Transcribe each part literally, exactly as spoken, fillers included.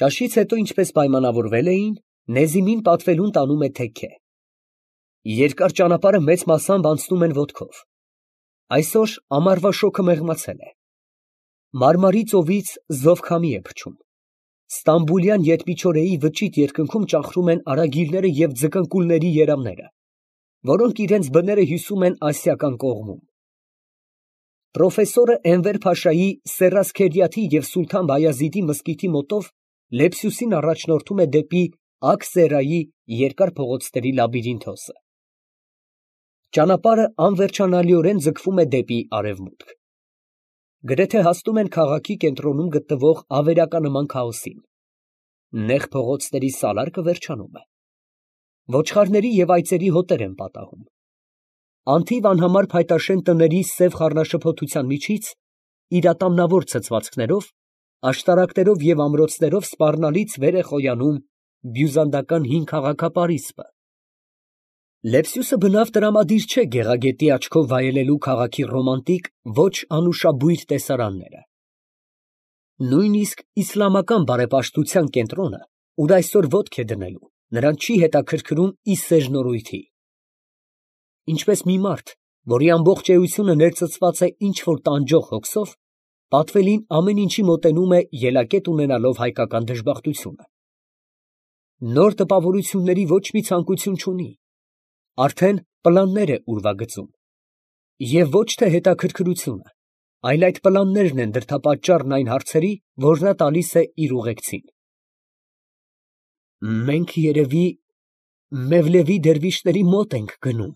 Ճաշից հետո, ինչպես պայմանավորվել էին, Նեզիմին պատվելուն տանում է թեքե։ Երկար ճանապարհը մեծ մասամբ անցնում են ոտքով։ Այսօր ամառվա շոգը մեղմացել է։ Մարմարի ծովից զովքամի է փչում։ Ստամբուլյան ետմիչորեի վճիտ երկնքում ճախրում են արագիլները և ձկնկուլների երամները, որոնք իրենց բները հյուսում են ասիական կողմում։ Պրոֆեսորը Էնվեր Փաշայի Սերրասքերիաթի և Սուլթան Բայազիդի մզկիթի մոտով Լեփսյուսին առաջնորդում է դեպի Աքսերայի երկար փողոցների լաբիրինթոսը։ Ճանապարհը անվերջանալիորեն ձգվում է դեպի արևմուտք։ Գրեթե հասնում են քաղաքի կենտրոնում գտնվող ավերականման քաոսին։ Նեղ փողոցների սալարկը վերջանում է։ Ոչխարների և այծերի հոտեր են պատահում։ Անթիվ անհամար փայտաշեն տների սև խառնաշփոթության միջից, իր ատամնավոր ցցվածքներով, աշտարակներով և ամրոցներով սպառնալից վեր է խոյանում բյուզանդական հին քաղաքապարիսպը։ Լեփսյուսը բնավ տրամադիր չէ գեղագետի աչքով վայելելու քաղաքի ռոմանտիկ, ոչ անուշաբույր տեսարանները։ Նույնիսկ իսլամական բարեպաշտության կենտրոնը, ուր այսօր ոտք է դնելու, նրան չի հետաքրքրում ի սեժնորույթի։ Ինչպես մի մարդ, որի ամբողջ էությունը ներծծված է ինչ֊որ տանջող հոգսով, պատվելին ամեն ինչի մոտենում է ելակետ ունենալով հայկական դժբախտությունը։ Նոր տպավորությունների ոչ մի ցանկություն չունի, արդեն պլաններ է ուրվագծում, և ոչ թե հետաքրքրությունը, այլ այդ պլաններն են դրդապատճառն այն հարցերի, որ նա տալիս է իր ուղեկցին։ Մենք, երևի, Մևլևի դերվիշների մոտ ենք գնում։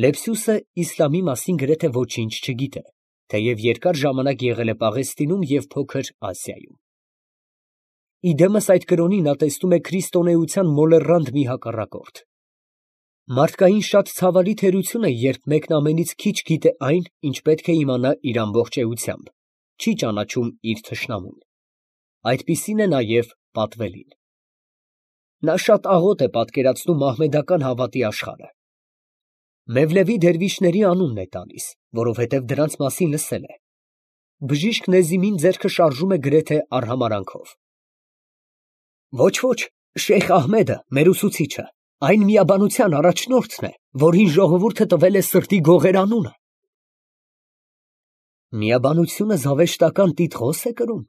Լեփսյուսը իսլամի մասին գրեթե ոչինչ չգիտե, թեև երկար ժամանակ եղել է Պաղեստինում և Փոքր Ասիայում։ Իդեմս այդ կրոնի նա տեսնում է քրիստոնեության մոլեռանդ մի հակառակորդ։ Մարդկային շատ ցավալի թերություն է, երբ մեկն ամենից քիչ գիտե այն, ինչ պետք է իմանա իր ամբողջ էությամբ, չի ճանաչում իր թշնամուն։ Այդպիսին է նաև պատվելին։ Նա շատ աղոտ է պատկերացնում մահմեդական հավատի աշխարհը։ Մևլևի դերվիշների անունն է տալիս, որովհետև դրանց մասին լսել է։ Բժիշկ Նեզիմին ձեռքը շարժում է գրեթե արհամարանքով։ Ոչ, ոչ, Շեյխ Ահմեդը, մեր ուսուցիչը, այն միաբանության առաջնորդն է, որին ժողովուրդը տվել է սրտի գողեր անունը։ Միաբանությունը զավեշտական տիտղոս է կրում,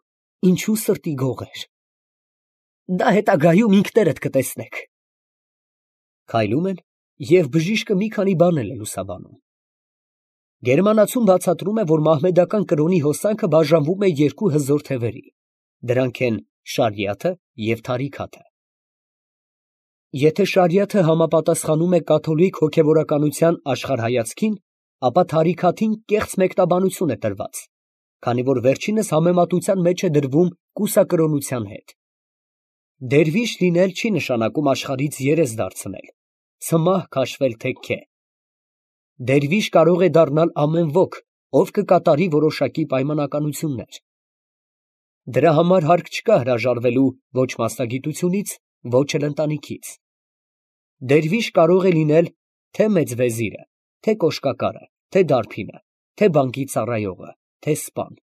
ինչու սրտի գողեր։ Դա հետագայում ինքներդ կտեսնեք։ Քայլում են, և բժիշկը մի քանի բանել է լուսաբանում։ Գերմանացուն բացատրում է, որ մահմեդական կրոնի հոսանքը բաժանվում է երկու հզոր թևերի, դրանք են շարիաթը և թարիքաթը։ Եթե շարիաթը համապատասխանում է կաթոլիկ հոգևորականության աշխարհայացքին, ապա թարիքաթին կեղծ մեկնաբանություն է տրված, քանի որ վերջինս համեմատության մեջ է դրվում կուսակրոնության հետ։ Դերվիշ լինել չի նշանակում աշխարհից երես դարձնել, ցմահ քաշվել թեքքե։ Դերվիշ կարող է դառնալ ամեն ոք, ով կկատարի որոշակի պայմանականություններ։ Դրա համար հարկ չկա հրաժարվելու ոչ մասնագիտությունից, ոչ էլ ընտանիքից։ Դերվիշ կարող է լինել թե մեծ վեզիրը, թե կոշկակարը, թե դարբինը, թե բանկի ծառայողը, թե սպան։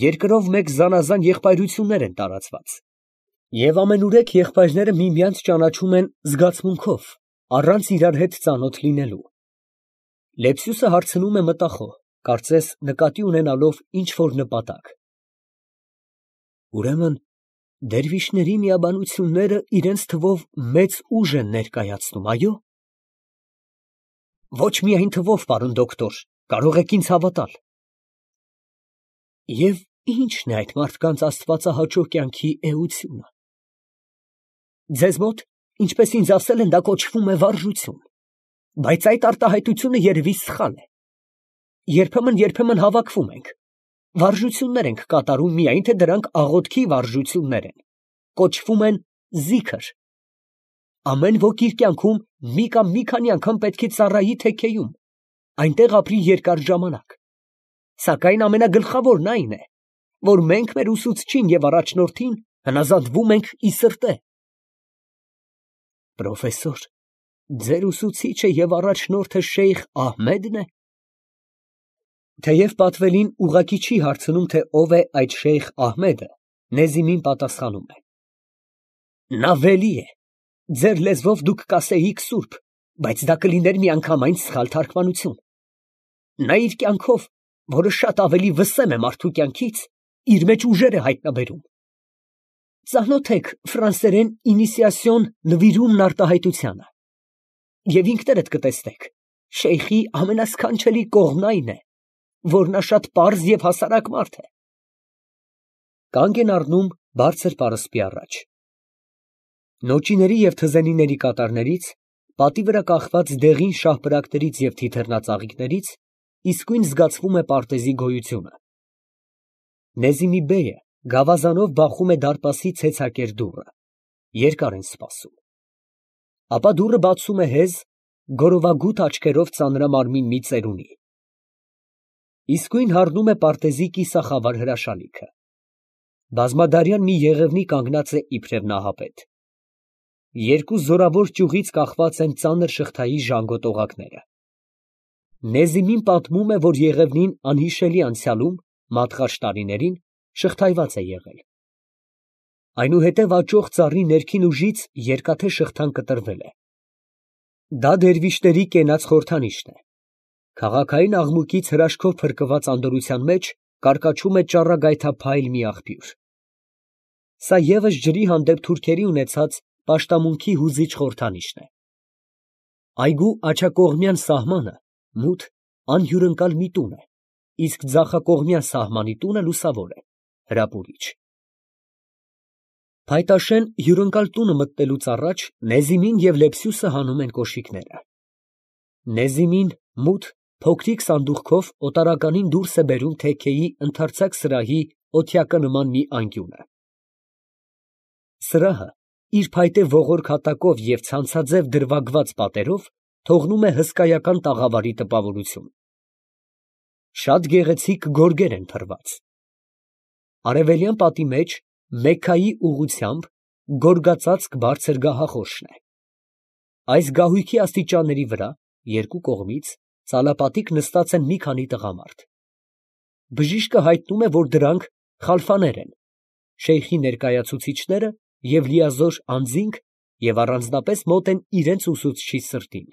Երկրով մեկ զանազան եղբայրություններ են տարածված, և ամենուրեք եղբայրները միմյանց ճանաչում են զգացմունքով, առանց իրար հետ ծանոթ լինելու։ Լեփսյուսը հարցնում է մտախոհ, կարծես նկատի ունենալով ինչ֊որ նպատակ։ Ուրեմն դերվիշների միաբանությունները իրենց թվով մեծ ուժ են ներկայացնում, այո՞։ Ոչ միայն թվով, պարոն դոկտոր, կարող եք ինձ հավատալ։ Եվ ի՞նչն է այդ մարդկանց աստվածահաճո կյանքի էությունը։ Ձեզ մոտ, ինչպես ինձ ասել են, դա կոչվում է վարժություն, բայց այդ արտահայտությունը երևի սխալ է։ Երբեմն, երբեմն հավաքվում ենք, վարժություններ ենք կատարում, միայն թե դրանք աղոթքի վարժություններ են, կոչվում են զիքր։ Ամեն ոք իր կյանքում մի կամ մի քանի անգամ պետք է ծառայի թեքեյում, այնտեղ ապրի երկար ժամանակ։ Սակայն ամենագլխավորն այն է, որ մենք մեր ուսուցչին և առաջնորդին հնազանդվում ենք ի սրտե։ Պրոֆեսոր, ձեր ուսուցիչը և առաջնորդը Շեյխ Ահմեդն է։ Թեև պատվելին ուղղակի չի հարցնում, թե ով է այդ Շեյխ Ահմեդը, Նեզիմին պատասխանում է. նա վելի է, ձեր լեզվով դուք կասեիք սուրբ, բայց դա կլիներ միանգամայն սխալ թարգմանություն. նա իր կյանքով, որը շատ ավելի վսեմ է մարդու կյանքից, իր մեջ ուժեր է հայտնաբերում։ Ծանոթ եք ֆրանսերեն ինիսիասիոն նվիրումն արտահայտությանը, և ինքներդ կտեսնեք, շեյխի ամենասքանչելի կողմն այն է, որ նա շատ պարզ և հասարակ մարդ է։ Կանգ են առնում բարձր պարսպի առաջ։ Նոճիների և թզենիների կատարներից, պատի վրա կախված դեղին շահպրակներից և թիթեռնածաղիկներից իսկույն զգացվում է պարտեզի գոյությունը։ Նեզիմի բեյը գավազանով բախում է դարպասի ցեցակեր դուռը, երկար են սպասում։ Ապա դուռը բացում է հեզ, գորովագութ աչքերով ծանրամարմին մի ծերունի։ Իսկույն հառնում է պարտեզի կիսախավար հրաշալիքը։ Բազմադարյան մի եղևնի կանգնած է իբրև նահապետ։ Երկու զորավոր ճյուղից կախված են ծանր շղթայի ժանգոտ օղակները։ Նեզիմին պատմում է, որ եղևնին անհիշելի անցյալում, մատղաշ տարիներին, շղթայված է եղել։ Այնուհետև աճող ծառի ներքին ուժից երկաթե շղթան կտրվել է։ Դա դերվիշների կենաց խորհրդանիշն է։ Քաղաքային աղմուկից հրաշքով փրկված անդորրության մեջ կարկաչում է ճառագայթափայլ մի աղբյուր։ Սա ևս ջրի հանդեպ թուրքերի ունեցած պաշտամունքի հուզիչ խորհրդանիշն է։ Այգու աջակողմյան սահմանը մութ, անհյուրընկալ մի տուն է, իսկ ձախակողմյան սահմանի տունը լուսավոր է, հրապուրիչ։ Փայտաշեն հյուրընկալ տունը մտնելուց առաջ Նեզիմին և Լեպսյուսը հանում են կոշիկները։ Նեզիմին մութ, փոքրիկ սանդուղքով օտարականին դուրս է բերում թեքեի ընդարձակ սրահի օթյակը նման մի անկյունը։ Սրահը իր փայտե ողորկ հատակով և ցանցաձև դրվագված պատերով թողնում է հսկայական տաղավարի տպավորություն։ Շատ գեղեցիկ գորգեր են փռված։ Արևելյան պատի մեջ, Մեքքայի ուղղությամբ, գորգածածկ բարձր գահախորշն է։ Այս գահույքի աստիճանների վրա, երկու կողմից, ծալապատիկ նստած են մի քանի տղամարդ։ Բժիշկը հայտնում է, որ դրանք խալֆաներ են, շեյխի ներկայացուցիչները և լիազոր անձինք և առանձնապես մոտ են իրենց ուսուցչի սրտին։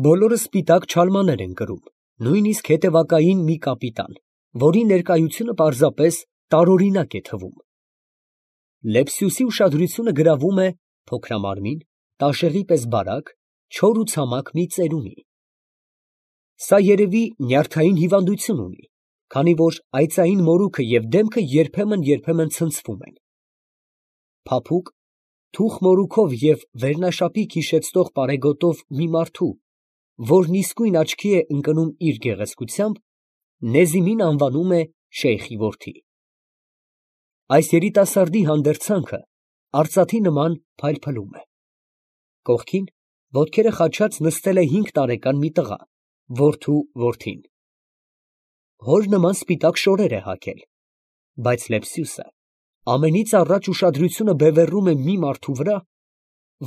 Բոլորը սպիտակ չալմաներ են կրում, նույնիսկ հետևակային մի կապիտան, որի ներկայությունը պարզապես տարօրինակ է թվում։ Լեպսյուսի ուշադրությունը գրավում է փոքրամարմին, տաշեղի պես բարակ, չոր ու ցամաք մի ծերունի։ Սա երևի նյարդային հիվանդություն ունի, քանի որ այծային մորուքը և դեմքը երբեմն֊երբեմն ցնցվում են։ Փափուկ, թուխ մորուքով և վերնաշապիկ հիշեցնող պարեգոտով մի մարդու, որն իսկույն աչքի է ընկնում իր գեղեցկությամբ, Նեզիմին անվանում է շեյխի որդի։ Այս երիտասարդի հանդերձանքը արծաթի նման փայլփլում է։ Կողքին, ոտքերը խաչած նստել է հինգ տարեկան մի տղա, որդու որդին։ Հոր նման սպիտակ շորեր է հագել, բայց Լեպսյուսը ամենից առաջ ուշադրությունը բևեռում է մի մարդու վրա,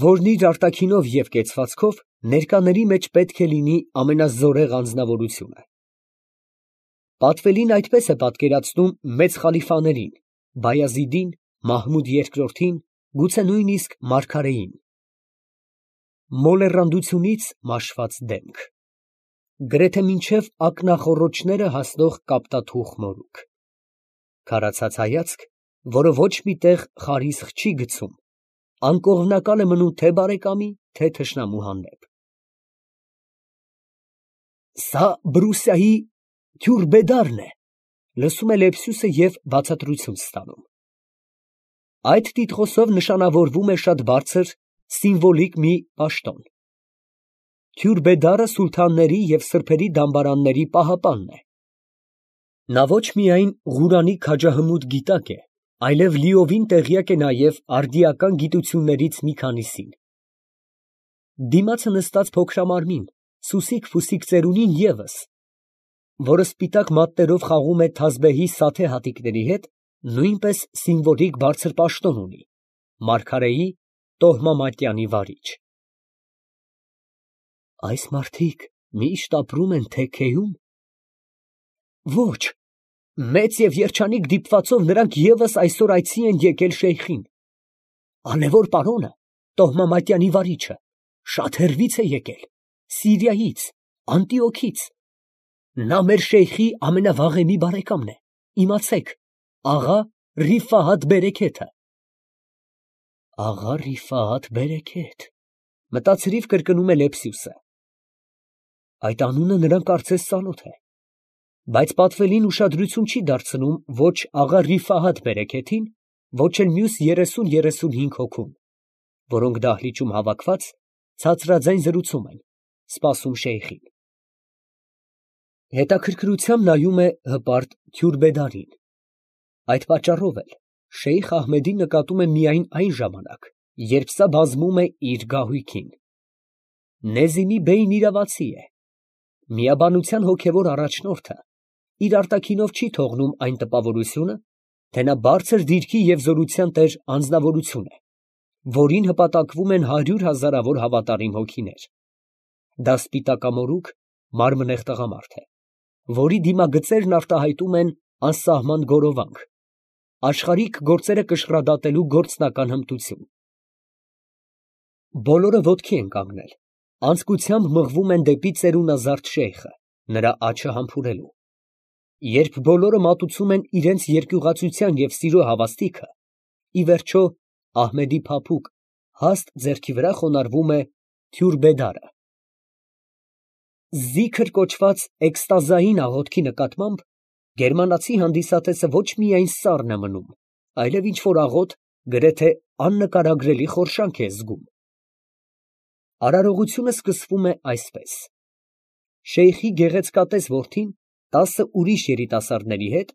որն իր արտաքինով և կեցվածքով ներկաների մեջ պետք է լինի ամենազորեղ անձնավորությունը։ Պատվելին այդպես է պատկերացնում մեծ խալիֆաներին, Բայազիդին, Մահմուդ երկրորդին, գուցե նույնիսկ մարգարեին։ Մոլեռանդությունից մաշված դեմք, գրեթե մինչև ակնախոռոչները հասնող կապտաթուխ մորուք, քարացած հայացք, որը ոչ մի տեղ խարիսխ չի գցում, անկողմնակալ է մնում թե բարեկամի, թե թշնամու հանդեպ։ Սա Բրուսիայի քյուրբեդարն է, լսում է Լեպսյուսը և բացատրություն ստանում։ Այդ տիտղոսով նշանավորվում է շատ բարձր, սիմվոլիկ մի պաշտոն։ Քյուրբեդարը սուլթանների և սրբերի դամբարանների պահապանն է։ Նա ոչ միայն Ղուրանի քաջահմուտ գիտակ է, այլև լիովին տեղյակ է նաև արդիական գիտություններից մի քանիսին։ Դիմացը նստած փոքրամարմին, սուսիկ֊փուսիկ ծերունին ևս, որը սպիտակ մատներով խաղում է թազբեհի սաթե հատիկների հետ, նույնպես սիմվոլիկ բարձր պաշտոն ունի, մարգարեի տոհմամատյանի վարիչ։ Այս մարդիկ միշտ ապրում են թեքեյո՞ւմ։ Ոչ, Մեծ և երջանիկ դիպվածով նրանք ևս այսօր այցի են եկել շեյխին։ Ալեւոր պարոնը, տոհմամատյանի վարիչը, շատ հեռվից է եկել, Սիրիայից, Անտիոքից. նա մեր շեյխի ամենավաղեմի բարեկամն է, իմացեք, աղա Ռիֆահաթ Բերեքեթը։ Աղա Ռիֆահաթ Բերեքեթ, մտածրիվ կրկնում է Լեպսյուսը։ Այդ անունը նրան կարծես ծանոթ է, բայց պատվելին ուշադրություն չի դարձնում ոչ աղա Ռիֆահաթ Բերեքեթին, ոչ էլ մյուս երեսուն երեսունհինգ հոգուն, որոնք դահլիճում հավաքված ցածրաձայն զրուցում են, սպասում շեյխին։ Հետաքրքրությամբ նայում է հպարտ Քյուրբեդարին։ Այդ պատճառով էլ Շեյխ Ահմեդին նկատում է միայն այն ժամանակ, երբ սա բազում է իր գահույքին։ Նեզիմի֊բեյն իրավացի է, միաբանության հոգևոր առաջնորդը իր արտաքինով չի թողնում այն տպավորությունը, թե նա բարձր դիրքի և զորության տեր անձնավորություն է, որին հպատակվում են հարյուր հազարավոր հավատարիմ հոգիներ։ Դա սպիտակամորուք, մարմնեղ տղամարդ է, որի դիմագծերն արտահայտում են անսահման գորովանք, աշխարհիկ գործերը կշռադատելու գործնական հմտություն։ Բոլորը ոտքի են կանգնել, անձկությամբ մղվում են դեպի ծերունազարդ շեյխը, նրա աջը համբուրելու։ Երբ բոլորը մատուցում են իրենց երկյուղածության և սիրո հավաստիքը, ի վերջո Ահմեդի փափուկ, հաստ ձեռքի վրա խոնարհվում է Քյուրբեդարը։ Զիքր կոչված էքստազային աղոթքի նկատմամբ գերմանացի հանդիսատեսը ոչ միայն սառն է մնում, այլև ինչ֊որ աղոթ, գրեթե աննկարագրելի խորշանք է զգում։ Արարողությունը սկսվում է այսպես. Շեյխի գեղեցկատես որդին տասը ուրիշ երիտասարդների հետ,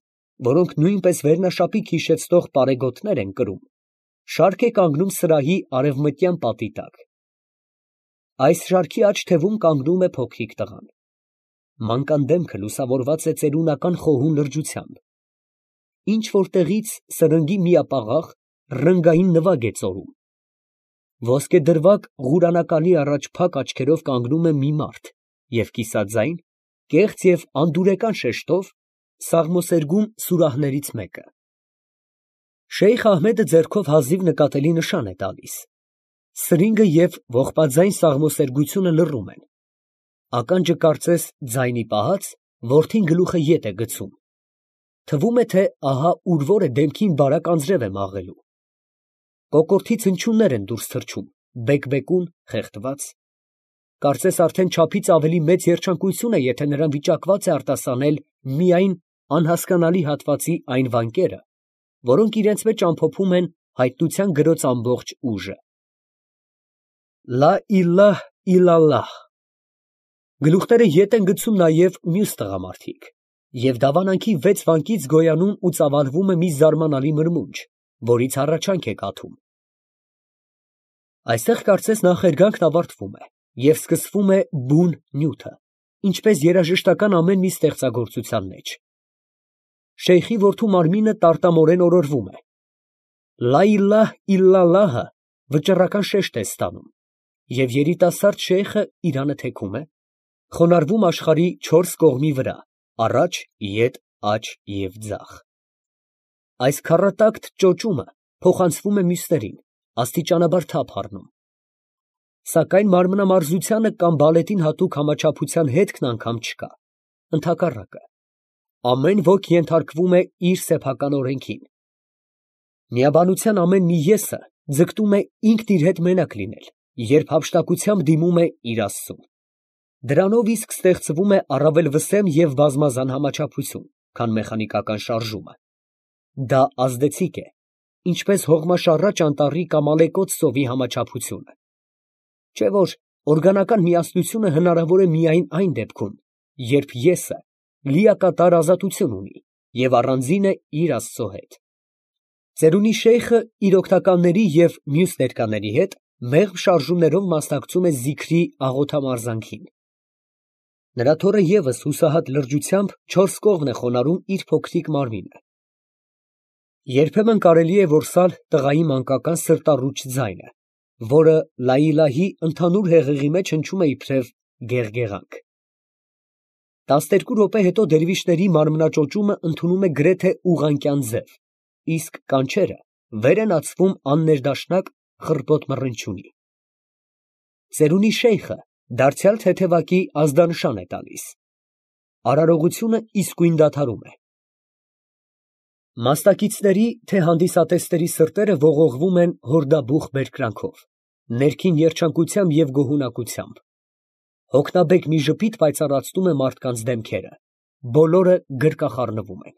որոնք նույնպես վերնաշապիկ հիշեցնող պարեգոթներ են կրում, շարք է կանգնում սրահի արևմտյան պատի տակ։ Այս շարքի աջ թևում կանգնում է փոքրիկ տղան։ Մանկան դեմքը լուսավորված է ծերունական խոհու լրջությամբ։ Ինչ֊որ տեղից սրնգի միապաղաղ, ռնգային նվագ է ծորում։ Ոսկեդրվագ ղուրանականի առաջ փակ աչքերով կանգնում է մի մարդ և կիսաձայն, կեղծ և անդուրեկան շեշտով սաղմոսերգում սուրահներից մեկը։ Շեյխ Ահմեդը ձեռքով հազիվ նկատելի նշան է տալիս։ Սրինգը և ողբաձայն սաղմոսերգությունը լռում են։ Ականջը կարծես ձայնի պահած, որդին գլուխը ետ է գցում։ Թվում է, թե ահա ուր֊որ է դեմքին բարակ անձրև է մաղելու։ Կոկորդից հնչյուններ են դուրս թռչում, բեկ֊բեկուն, խեղդված։ Կարծես արդեն չափից ավելի մեծ երջանկություն է, եթե նրան վիճակված է արտասանել միայն անհասկանալի հատվածի այն վանկերը, որոնք իրենց մեջ ամփոփում են հայտնության գրոց ամբողջ ուժը։ Լա իլահ իլալլահ։ Գլուխները ետ են գցում նաև մյուս տղամարդիկ, և դավանանքի վեց վանկից գոյանում ու ծավալվում է մի զարմանալի մրմունջ, որից հառաչանք է կաթում։ Այստեղ կարծես նախերգանքն ավարտվում է և սկսվում է բուն նյութը, ինչպես երաժշտական ամեն մի ստեղծագործության մեջ։ Շեյխի որդու մարմինը տարտամորեն օրորվում է։ Լա իլահ իլալլահը վճռական շեշտ է ստանում, և երիտասարդ շեյխը իրանը թեքում է, խոնարհվում աշխարհի չորս կողմի վրա, առաջ, ետ, աջ և ձախ։ Այս քառատակտ ճոճումը փոխանցվում է մյուսներին, աստիճանաբար թափ առնում։ Սակայն մարմնամարզությանը կամ բալետին հատուկ համաչափության հետքն անգամ չկա, ընդհակառակը, ամեն ոք ենթարկվում է իր սեփական օրենքին։ Միաբանության ամեն մի եսը ձգտում է ինքն իր հետ մենակ լինել, երբ հափշտակությամբ դիմում է իր Աստծուն։ Դրանով իսկ ստեղծվում է առավել վսեմ և բազմազան համաչափություն, քան մեխանիկական շարժումը։ Դա ազդեցիկ է, ինչպես հողմաշառաջ անտառի կամ ալեկոծ ծովի համաչափությունը։ Չէ՞ որ օրգանական միասնությունը հնարավոր է միայն այն դեպքում, երբ եսը լիակատար ազատություն ունի և առանձին է իր Աստծո հետ։ Ծերունի շեյխը իր օգնականների և մյուս ներկաների հետ մեղմ շարժումներով մասնակցում է զիքրի աղոթամարզանքին։ Նրա թոռը ևս հուսահատ լրջությամբ չորս կողմն է խոնարհում իր փոքրիկ մարմինը։ Երբեմն կարելի է որսալ տղայի մանկական սրտառուչ ձայնը, որը լա իլահի ընդհանուր հեղեղի մեջ հնչում է իբրև գեղգեղանք։ Տասներկու րոպե հետո դերվիշների մարմնաճոճումը ընդունում է գրեթե ուղղանկյան ձև, իսկ կանչերը վեր են ածվում աններդաշնակ խռպոտ մռնչյունի։ Ծերունի շեյխը դարձյալ թեթևակի ազդանշան է տալիս։ Արարողությունը իսկույն դադարում է։ Մասնակիցների, թե հանդիսատեսների սրտերը ողողվում են հորդաբուխ բերկրանքով, ներքին երջանկությամբ և գոհունակությամբ։ Հոգնաբեկ մի ժպիտ պայծառացնում է մարդկանց դեմքերը, բոլորը գրկախառնվում են։